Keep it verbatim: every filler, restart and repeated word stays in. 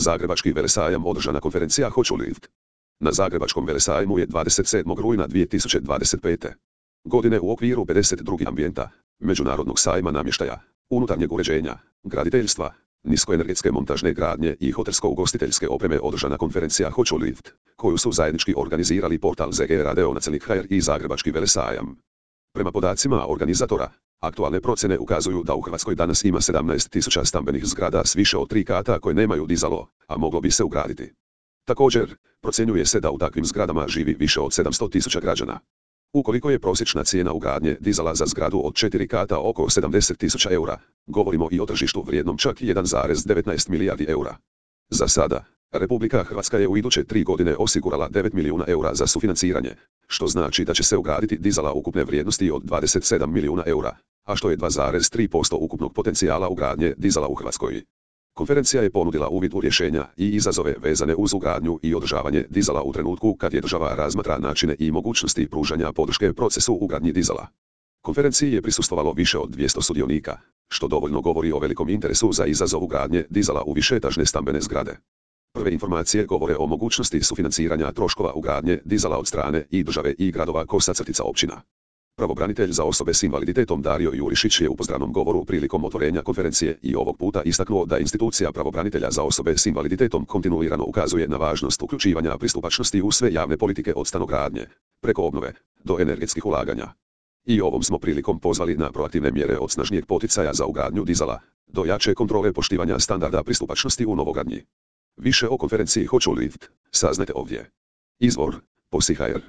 Zagrebački velesajam održana konferencija Hoću lift. Na Zagrebačkom velesajmu je dvadeset sedmog rujna dvije tisuće dvadeset pete. godine u okviru pedeset drugog ambijenta, Međunarodnog sajma namještaja, unutarnjeg uređenja, graditeljstva, niskoenergetske montažne gradnje i hotelsko-ugostiteljske opreme održana konferencija Hoću lift, koju su zajednički organizirali portal Z G Radio nacionalnih H R i Zagrebački velesajam. Prema podacima organizatora, aktualne procjene ukazuju da u Hrvatskoj danas ima sedamnaest tisuća stambenih zgrada s više od tri kata koje nemaju dizalo, a moglo bi se ugraditi. Također, procjenjuje se da u takvim zgradama živi više od sedamsto tisuća građana. Ukoliko je prosječna cijena ugradnje dizala za zgradu od četiri kata oko sedamdeset tisuća eura, govorimo i o tržištu vrijednom čak jedan zarez devetnaest milijardi eura. Za sada, Republika Hrvatska je u iduće tri godine osigurala devet milijuna eura za sufinanciranje, što znači da će se ugraditi dizala ukupne vrijednosti od dvadeset sedam milijuna eura, a što je dva zarez tri posto ukupnog potencijala ugradnje dizala u Hrvatskoj. Konferencija je ponudila uvid u rješenja i izazove vezane uz ugradnju i održavanje dizala u trenutku kad je država razmatra načine i mogućnosti pružanja podrške procesu ugradnji dizala. Konferenciji je prisustvovalo više od dvjesto sudionika, što dovoljno govori o velikom interesu za izazov ugradnje dizala u višeetažne stambene zgrade. Prve informacije govore o mogućnosti sufinanciranja troškova ugradnje dizala od strane i države i gradova Kosa crtica općina. Pravobranitelj za osobe s invaliditetom Dario Jurišić je u pozdravnom govoru prilikom otvorenja konferencije i ovog puta istaknuo da institucija pravobranitelja za osobe s invaliditetom kontinuirano ukazuje na važnost uključivanja pristupačnosti u sve javne politike od stanogradnje, preko obnove, do energetskih ulaganja. I ovom smo prilikom pozvali na proaktivne mjere od snažnijeg poticaja za ugradnju dizala, do jače kontrole poštivanja standarda pristupačnosti u novogradnji. Više o konferenciji Hoću lift saznajte ovdje. Izvor: Posi H R.